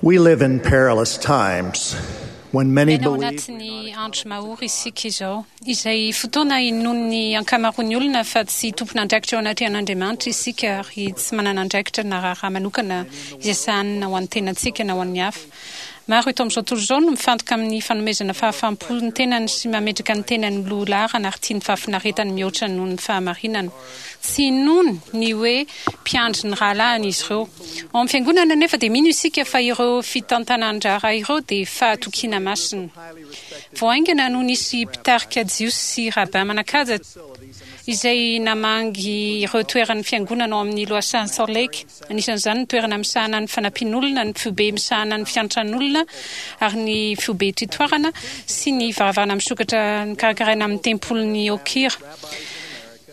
We live in perilous times when many Miaina ao believe anatin'ny andro mahory isika izao, izay fotoana inoan'ny ankamaroan'ny olona fa tsy tompon'andraikitra eo anatrehan'Andriamanitra isika ary tsy manana andraikitra na raharaha manokana izay sahanina ho an'ny tenantsika na ho an'ny hafa. Maro eto amin'izao tontolo izao no mifantoka amin'ny fanomezana fahafaham-po ny tenany sy mametraka ny tenany ho loha laharana ary tia ny fahafinaretany mihoatra noho ny fahamarinana. Tsy inoany ny hoe mpiandry ny rahalahiny izy ireo. Ao amin'ny Fiangonana anefa dia mino isika fa ireo fitantanan-draharaha ireo dia fahatokiana masina. Vao haingana no nisy mpitarika Jiosy sy rabbin manan-kaja izay namangy ireo toeran'ny Fiangonana ao amin'ny Lohasahan'i Salt Lake, anisan'izany ny toerana misahana ny fanampian'olona, ny foibe misahana ny fiantran'olona ary ny foibe titoarana sy ny varavarana misokatra nokarakaraina amin'ny tempolin'i Okira.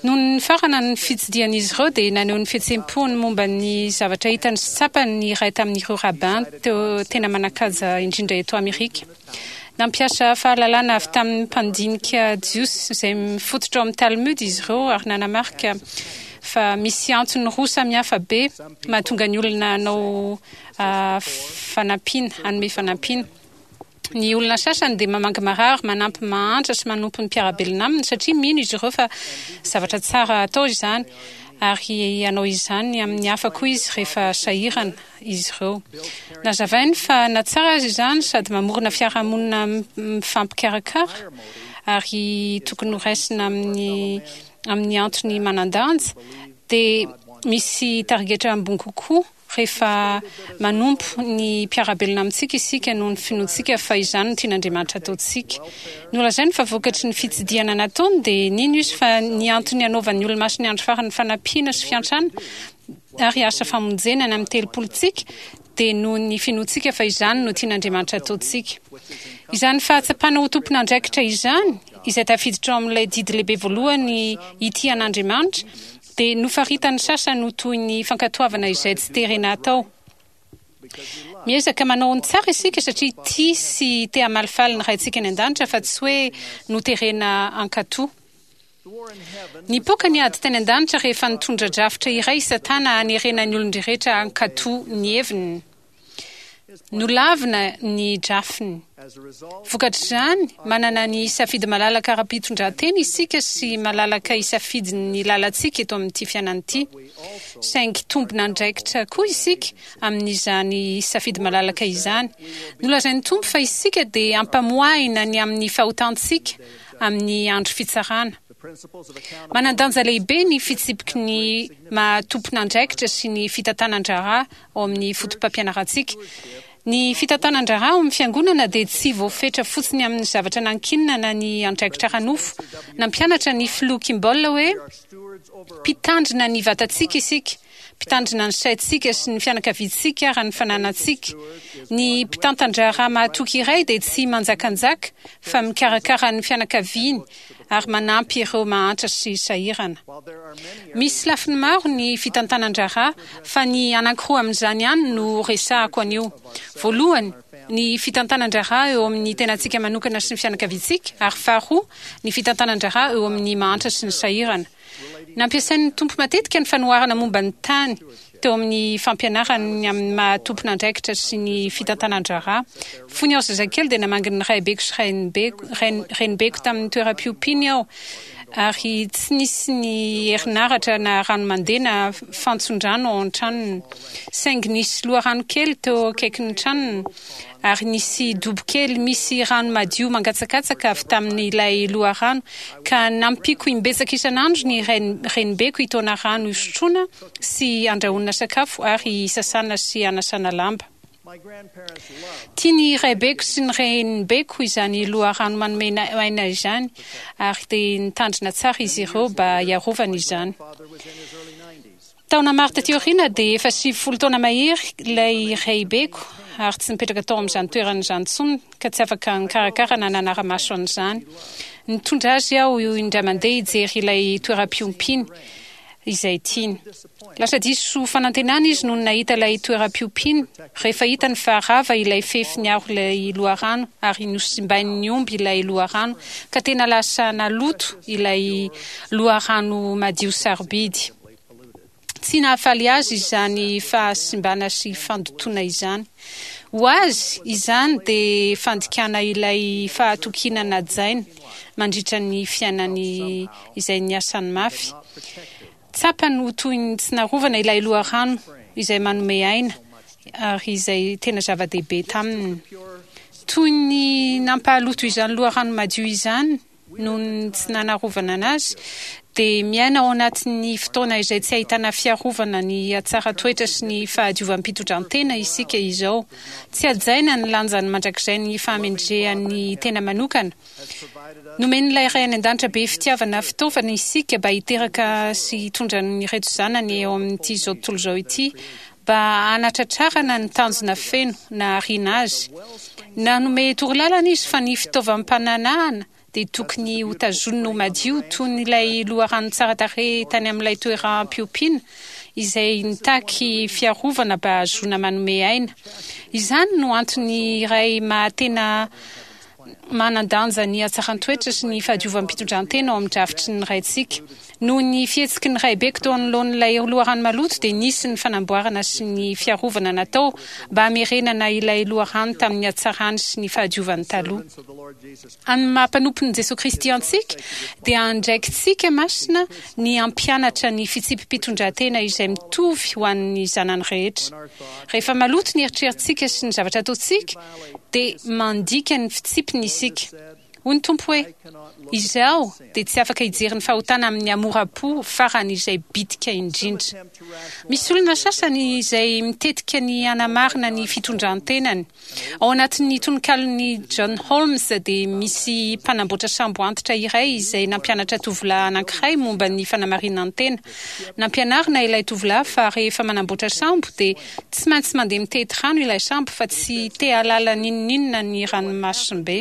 Nony nifarana ny fitsidihan'izy ireo dia naneho ny fihetseham-pony momba ny zavatra hitany sy tsapany ny iray tamin'ireo rabbin teo tena manan-kaja indrindra eto Amerika. Nampiasa fahalalana avy tamin'ny mpandinika jiosy izay mifototra ao amin'ny Talmud izy ireo ary nanamarika fa misy antony roa samihafa be mahatonga ny olona hanao fanampiana, hanome fanampiana. Ny olona sasany dia mamangy marary, manampy mahantra sy manompo ny mpiara-belona aminy satria mino izy ireo fa zavatra tsara atao izany, ary hanao izany amin'ny hafa koa izy rehefa sahirana izy ireo. Nazavainy fa na tsara aza izany sady mamorona fiarahamonina mifampikarakara ary tokony horaisina amin'ny amin'ny antony manan-danja, dia misy tarigetra ambony kokoa. Rehefa manompo ny mpiara-belona amintsika isika noho ny finoantsika fa izany no tian'Andriamanitra hataontsika. Nolazainy fa vokatry ny fitsidihana nataony dia nino izy fa ny antony hanaovan'ny Olomasin'ny Andro Farany fanampiana sy fiantrana ary asa famonjena any amin'ny telopolontsika dia noho ny finoantsika fa izany no tian'Andriamanitra hataontsika. Izany fahatsapana ho tompon'andraikitra izany, izay tafiditra ao amin'ilay didy lehibe voalohany hitia an'Andriamanitra, dia nofaritan'ny sasany ho toy ny fankatoavana izay tsy terena atao. Miezaka manao ny tsara isika satria tia sy te hamalifaly ny Raintsika any an-danitra fa tsy hoe noterena hankatò. Nipoaka ny ady tany an-danitra rehefa nitondra drafitra iray i Satana hanerena ny olon-drehetra hankatò ny heviny. Nolavina ny drafiny. Vokatr'izany, manana ny safidy malalaka ara-pitondrantena isika sy malalaka hisafidy ny lalantsika eto amin'ity fiainana ity. Saingy tompon'andraikitra koa isika amin'izany safidy malalaka izany. Nolazain'ny Tompo fa isika dia hampamoahina ny amin'ny fahotantsika amin'ny andro fitsarana. Manan-danja lehibe ny fitsipiky ny maha tompon'andraikitra sy ny fitantanan-draharaha ao amin'ny fotopampianarantsika. Ny fitantanan-draharaha ao amin'ny Fiangonana dia tsy voafetra fotsiny amin'ny zavatra nankinina na ny andraikitra ara-nofo. Nampianatra ny Filoha Kimball hoe, Mpitandrina ny vatantsika isika, mpitandrina ny saintsika sy ny fianakaviantsika ary ny fananantsika. Ny mpitantan-draharaha mahatoky iray dia tsy manjakanjaka fa mikarakara ny fianakaviany ary manampy ireo mahantra sy sahirana. Misy lafiny maro ny fitantanan-draharaha fa ny anankiroa amin'izany ihany no resahako anio. Voalohany, ny fitantanan-draharaha eo amin'ny tenantsika manokana sy ny fianakaviantsika, ary faharoa, ny fitantanan-draharaha eo amin'ny mahantra sy ny sahirana. Nampiasain'ny Tompo matetika ny fanoharana momba ny tany teo amin'ny fampianarany ny amin'ny maha tompon'andraikitra sy ny fitantanan-draharaha. Fony aho zazakely dia namangy ny raibeko sy rainibeko, renibeko tamin'ny toeram-piompiany aho, ary tsy nisy ny herinaratra na rano mandeha na fantson-drano ao an-tranony. Saingy nisy loharano kely teo akaikin'ny tranony, ary nisy dobo kely misy rano madio mangatsakatsaka avy tamin'ilay loharano, ka nampiako imbetsaka isan'andro ny renibeko hitaona rano hisotroana sy handrahoana sakafo ary hisasana sy hanasana lamba. Tian'ny raibeko sy ny renibeko izany loharano manome aina izany, ary dia nitandrina tsara izy ireo mba hiarovana izany. Taona maro taty aoriana dia efa 90 taona mahery ilay raibeko ary tsy nipetraka tao amin'izany toerana izany intsony ka tsy afaka nikarakara na nanara-maso an'izany. Nitondra azy aho indray mandeha hijery ilay toeram-piompiany izay tiany. Lasa diso fanantenana izy nony nahita ilay toeram-piompiana, rehefa hitany fa rava ilay fefy niaro ilay loharano ary nosimbain'ny omby ilay loharano, ka tena lasa naloto ilay loharano madio sarobidy. Tsy nahafaly azy izany fahasimbana sy fandotoana izany. Ho azy, izany dia fandikana ilay fahatokiana najainy mandritra ny fiainany izay niasany mafy. Tsapany ho toy ny tsy narovana ilay loharano izay manome aina ary izay tena zava-dehibe taminy. Toy ny nampahaloto izany loharano madio izany noho ny tsy nanarovana anazy, dia miaina ao anatin'ny fotoana izay tsy ahitana fiarovana ny hatsaran-toetra sy ny fahadiovam-pitondran-tena isika izao. Tsy hajaina ny lanjany mandrakizay ny fahamendrehan'ny tena manokana. Nomen'ilay Ray any An-danitra be fitiavana fitaovana isika mba hiteraka sy hitondra an'ireto zanany eo amin'ity izao tontolo izao ity mba hanatratrarana ny tanjona feno nahariana azy. Nanome torolalana izy fa ny fitaovam-pananahana dia tokony hotazonina ho madio toy ny ilay loharano tsara tarehy tany amin'ilay toeram-piompiana izay nitaky fiarovana mba hahazoana manome aina. Izany no antony iray maha-tena Manan-danja ny hatsaran-toetra sy ny fahadiovam-pitondran-tena ao amin'ny drafitry ny Raintsika. Noho ny fihetsiky ny raibeko teo anoloan'ilay loharano maloto dia nisy ny fanamboarana sy ny fiarovana natao mba hamerenana ilay loharano tamin'ny hatsarany sy ny fahadiovany taloha. Amin'ny maha mpanompon'i Jesoa Kristy antsika dia andraikitsika masina ny hampianatra ny fitsipi-pitondran-tena izay mitovy ho an'ny zanany rehetra. Rehefa maloto ny eritreritsika sy ny zavatra ataontsika dia mandika ny fitsipiny isika. Hoy ny Tompo hoe, Izaho dia tsy afaka hijery ny fahotana amin'ny hamoram-po farany izay bitika indrindra. Misy olona sasany izay mitetika ny hanamarina ny fitondran-tenany. Ao anatin'ny tononkalon'i John Holmes dia misy mpanamboatra sambo antitra iray izay nampianatra tovolahy anankiray momba ny fanamarinan-tena. Nampianarina ilay tovolahy fa rehefa manamboatra sambo dia Tsy maintsy mandeha mitety rano ilay sambo fa tsy te hahalala n'inon'inona ny ranomasimbe.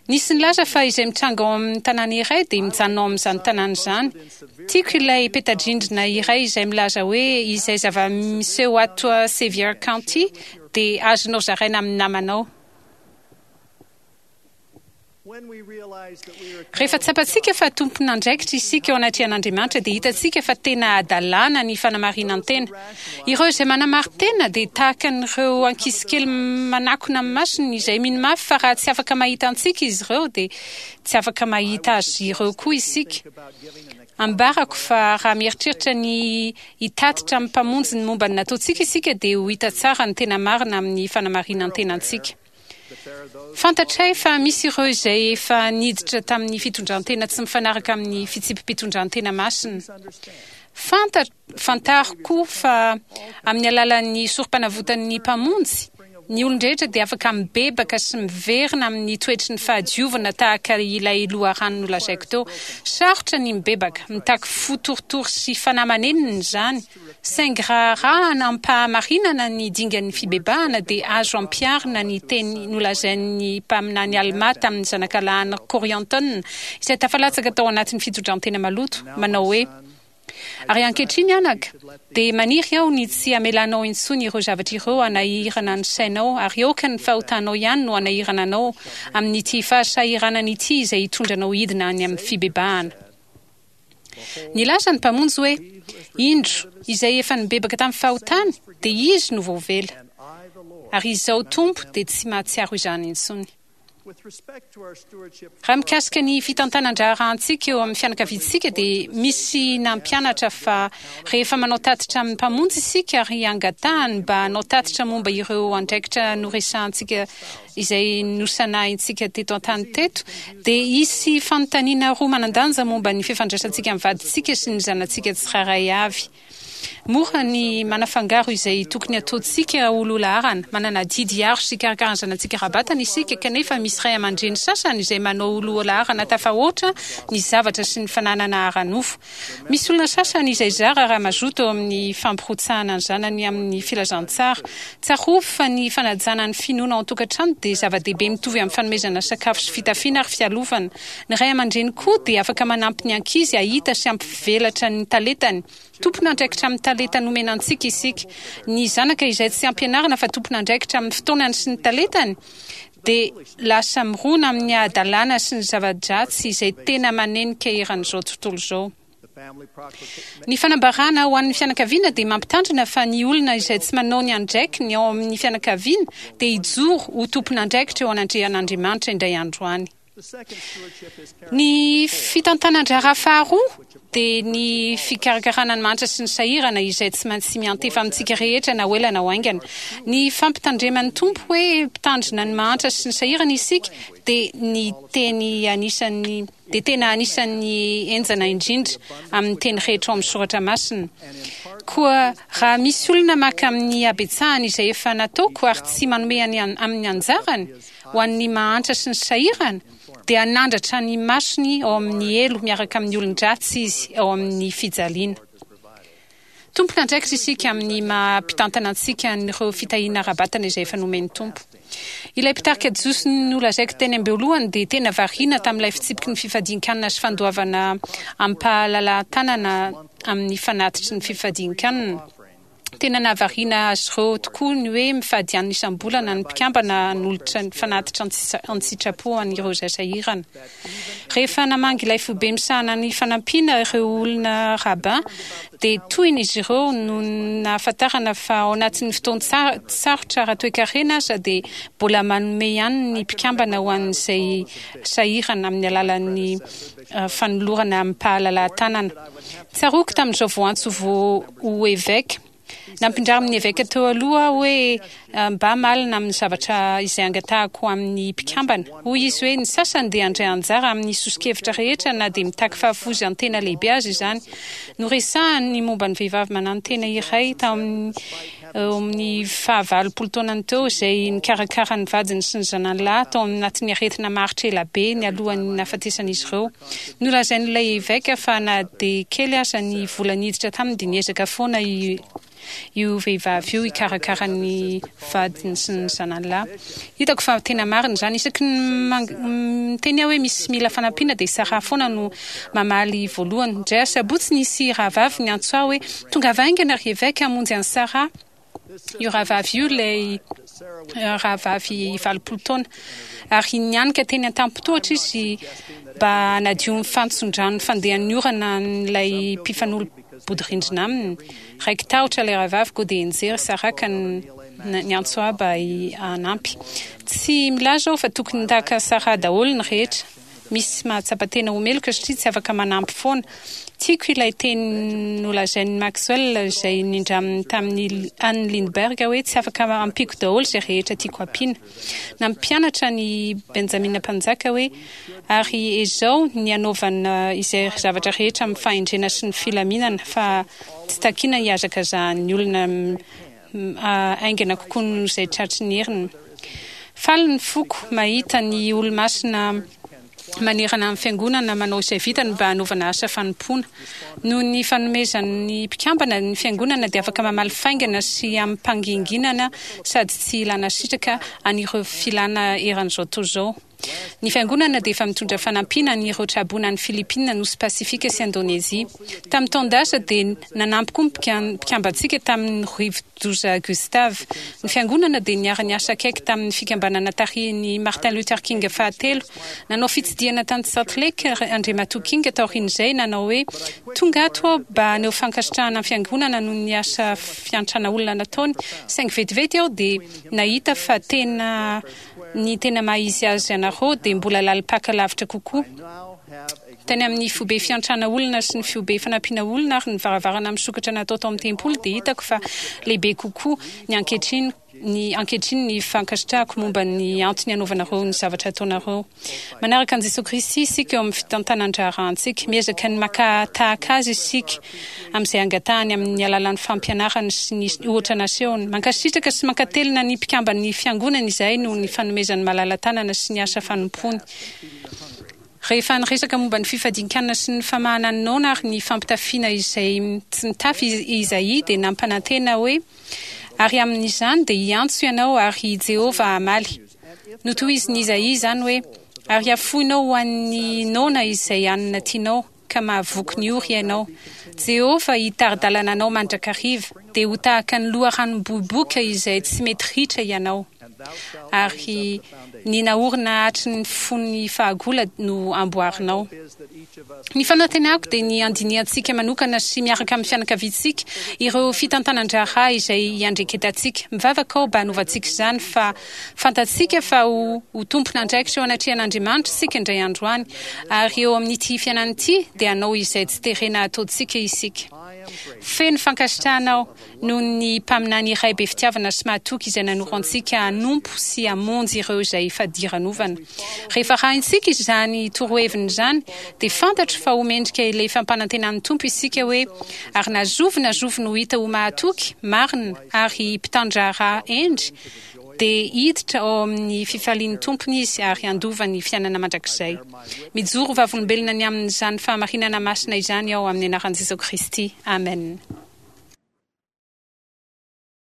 Nisy nilaza fa izay mitranga ao amin'ny tanàna iray dia mijanona ao amin'izany tanàna izany. Tiako ilay peta-drindrina iray izay milaza hoe izay zava-miseho ato Sevier County dia azonao zaraina amin'ny namanao. Rehefa tsapantsika fa tompon'andraikitra isika eo anatrehan'Andriamanitra dia hitantsika fa tena hadalana ny fanamarinan-tena. Ireo izay manamarin-tena dia tahaka an'ireo ankizikely manakona amin'ny masony izay mino mafy fa raha tsy afaka mahita antsika izy ireo dia tsy afaka mahita azy ireo koa isika. Ambarako fa raha mieritreritra ny hitatitra amin'ny Mpamonjy ny momba ny nataontsika isika dia ho hita tsara ny tena marina amin'ny fanamarinan-tenantsika. Fantatray fa misy ireo izay efa niditra tamin'ny fitondran-tena tsy mifanaraka amin'ny fitsipi-pitondran-tena masina. Fanta, fantaro koa fa amin'ny alalan'ny sorompanavotan'ny Mpamonjy, ny olon-drehetra dia afaka mibebaka sy miverina amin'ny toetry ny fahadiovana tahaka ilay loharano nolazaiko teo. Sarotra ny mibebaka, mitaky fo torotoro sy fanahy manenina izany. Saingy raha arahana amim-pahamarinana ny dingan'ny fibebahana dia azo ampiharina ny teny nolazain'ny mpaminany Almà tamin'ny zanakalahiny Kôriantôna izay tafalatsaka tao anatin'ny fitondran-tena maloto, manao hoe, Ary ankehitriny anaka, dia maniry aho ny tsy hamelanao intsony ireo zavatra ireo hanahirana ny sainao, ary aoka ny fahotanao ihany no hanahirana anao amin'ity fahasahiranana ity izay hitondra anao hidina any amin'ny fibebahana. Nilaza ny Mpamonjy hoe, Indro, izay efa nibebaka tamin'ny fahotany, dia izy no voavela. Ary Izaho Tompo dia tsy mahatsiaro izany intsony. Raha mikasika ny fitantanan-draharahantsika eo amin'ny fianakaviantsika dia misy nampianatra fa rehefa manao tatitra amin'ny Mpamonjy isika ary angatahany mba hanao tatitra momba ireo andraikitra noresahantsika izay nosanahintsika teto an-tany teto, dia hisy fanontaniana roa manan-danja momba ny fifandraisantsika amin'ny vadintsika sy ny zanatsika tsirairay avy. Mora ny manafangaro izay tokony hataontsika ho loha laharana. Manana adidy hiaro sy hikarakara ny zanatsika ara-batana isika, kanefa misy ray aman-dreny sasany izay manao ho loha laharana tafahoatra ny zavatra sy ny fananana ara-nofo. Misy olona sasany izay zara raha mazoto eo amin'ny fampirotsahana ny zanany amin'ny filazantsara. Tsarovy fa ny fanajana ny finoana ao an-tokantrano dia zava-dehibe mitovy amin'ny fanomezana sakafo sy fitafiana ary fialofana. Ny ray aman-dreny koa dia afaka manampy ny ankizy hahita sy hampivelatra ny talentany. Tompon'andraikitra amin'ny talenta nomena antsika isika. Ny zanaka izay tsy ampianarina fa tompon'andraikitra amin'ny fotoanany sy ny talentany dia lasa mirona amin'ny hadalana sy ny zava-dratsy izay tena manenika eran'izao tontolo izao. Ny fanambarana ho an'ny fianakaviana dia mampitandrina fa ny olona izay tsy manao ny andraikiny ao amin'ny fianakaviana dia hijoro ho tompon'andraikitra eo anatrehan'Andriamanitra indray andro any. Ny fitantanan-draharaha faharoa dia ny fikarakarana ny mahantra sy ny sahirana izay tsy maintsy miantefa amintsika rehetra na ho ela na ho haingana. Ny fampitandreman'ny Tompo hoe mpitandrina ny mahantra sy ny sahirana isika dia ny teny anisan'ny dia tena anisan'ny henjana indrindra amin'ny teny rehetra ao amin'ny soratra masina. Koa raha misy olona maka amin'ny habetsahany izay efa nataoko ary tsy manome amin'ny anjarany, ho an'ny mahantra sy ny sahirana, dia hanandratra ny masony ao amin'ny helo miaraka amin'ny olon-dratsy izy ao amin'ny fijaliana. Tompon'andraikitra isika amin'ny maha mpitantana antsika an'ireo fitahiana ara-batana izay efa nomen'ny Tompo. Ilay mpitarika jiosy nolazaiko teny am-boalohany dia tena variana tamin'ilay fitsipiky ny fifadian-kanina sy fandoavana amim-pahalalahan-tanana amin'ny fanatitry ny fifadian-kanina. Tena nahavariana azy ireo tokoa ny hoe mifady hanina isam-bolana ny mpikambana hanolotra ny fanatitra an-tsitrapo ho an'ireo izay sahirana. Rehefa namangy ilay foibe misahana ny fanampiana ireo olona rabbin, dia tohina izy ireo noho ny nahafantarana fa ao anatin'ny fotoan-tsarotra ara-toekarena aza dia mbola manome ihany ny mpikambana ho an'izay sahirana amin'ny alalan'ny fanolorana amim-pahalalahan-tanana. Tsaroako tamin'izao voantso vao ho eveka. Nampindramin'ny eveka teo aloha aho hoe mba malina amin'ny zavatra izay angatahako amin'ny mpikambana. Hoy izy hoe ny sasany dia handray anjara amin'ny soso-kevitra rehetra na dia mitaky fahafoizan-tena lehibe aza izany. Noresahany ny momba ny vehivavy mananotena iray tao amin'ny Eo amin'ny fahavalopolo taonany teo izay nikarakara ny vadiny sy ny zanany lahy tao anatin'ny aretina maharitra ela be nialohan'ny nahafatesan'izy ireo. Nolazain'ilay eveka fa na dia kely aza ny vola niditra taminy dia niezaka foana io vehivavy io hikarakara ny vadiny sy ny zanany lahy. Hitako fa tena marina izany. Isaky ny miteny aho hoe misy mila fanampiana dia Sarah foana no mamaly voalohany. Indray asabotsy nisy rahavavy niantso ahy hoe, Tongava haingana ry eveka hamonjy an'i Sarah. Io rahavavy io ilay rahavavy 80 taona. Ary nianika teny an-tampon-tohatra izy mba hanadio ny fantson-drano fandehan'ny orana an'ilay mpifanolo-bodirindrina aminy. Raiki-tahotra ilay rahavavy koa dia nijery Sarah ka niantso ahy mba hanampy. Tsy milaza aho fa tokony tahaka Sarah daholo ny rehetra. Misy mahatsapa tena ho meloka satria tsy afaka manampy foana. Tiako ilay teny nolazain'i Maxwell izay nindraminy tamin'i Anne Lindbergh hoe tsy afaka ampiako daholo izay rehetra tiako ampiana. Nampianatra an'i Benjamina Mpanjaka hoe, Ary ezao ny hanaovana izay zavatra rehetra amin'ny fahendrena sy ny filaminana, fa tsy takina hihazakazahan'ny olona haingana kokoa noho izay tratry ny heriny. Faly ny foko mahita ny Olomasina manerana ny Fiangonana manao izay vitany mba hanaovana asa fanompoana. Noho ny fanomezan'ny mpikambana, ny Fiangonana dia afaka mamaly faingana sy amim-panginginana sady tsy ilana sitraka an'ireo filàna eran'izao tontolo izao. Ny Fiangonana dia efa mitondra fanampiana an'ireo traboina any Filipina, Nosy Pasifika sy Indonezia. Tamin'ny taon-dasa dia nanampy koa ny mpikambantsika tamin'ny rivo-doza Gustav. Ny Fiangonana dia niara-niasa akaiky tamin'ny fikambanana tarihin'i Martin Luther King fahatelo. Nanao fitsidihana tany Salt Lake Andriamatoa King taorian'izay, nanao hoe, Tonga ato aho mba haneho fankasitrahana ny Fiangonana noho ny asa fiantrana olona nataony, saingy vetivety aho dia nahita fa tena Ny tena maha izy azy anareo dia mbola lalim-paka lavitra kokoa. Tany amin'ny foibe fiantrana olona sy ny fiobe fanampiana olona ary ny varavarana misokatra natao tao amin'ny tempoly dia hitako fa lehibe kokoa ny ankehitriny ny ankehitriny ny fankasitrahako momba ny antony anaovanareo ny zavatra ataonareo. Manaraka an'i Jesoa Kristy isika eo amin'ny fitantanan-draharahantsika. Miezaka ny maka tahaka Azy isika amin'izay angatahany amin'ny alalan'ny fampianarany sy ny ohatra nasehony. Mankasitraka sy mankatelina ny mpikamban'ny Fiangonana izahay noho ny fanomezany malala-tanana sy ny asa fanompoany. Rehefa niresaka momba ny fifadian-kanina sy ny famahana ny noana ary ny fampitafiana izay tsy mitafy i Izaia dia nampanantena hoe, Ary amin'izany dia hiantso ianao ary i Jehovah hamaly. Notohizin'i Izaia izany hoe, Ary hafoinao ho an'ny noana izay hanina tianao, ka mahavoky ny ory ianao. Jehovah hitari-dalana anao mandrakariva, dia ho tahaka ny loharanom-boiboka izay tsy mety ritra ianao. Ary ny naorina hatry ny fony fahagola no amboarinao. Ny fanantenako dia ny handinihantsika manokana sy miaraka amin'ny fianakaviantsika ireo fitantanan-draharaha izay iandreketantsika. Mivavaka aho mba hanovantsika izany fa fantatsika fa ho ho tompon'andraikitra eo anatrehan'Andriamanitra isika indray andro any, ary eo amin'ity fiainana ity dia hanao izay tsy terena hataontsika isika. Feno fankasitrahana aho noho ny mpaminany iray be fitiavana sy mahatoky izay nanoro antsika hanompo sy hamonjy ireo izay fadiranovana. Rehefa arahintsika izany toroheviny izany, dia fantatro fa ho mendrika ilay fampanantenan'ny Tompo isika hoe, Ary na zovy na zovy no hita ho mahatoky, marina, ary mpitan-draharaha hendry, dia hiditra ao amin'ny fifalian'ny Tompony izy ary handova ny fiainana mandrakizay. Mijoro vavolombelona ny amin'izany fahamarinana masina izany aho amin'ny anaran'i Jesoa Kristy. Amen.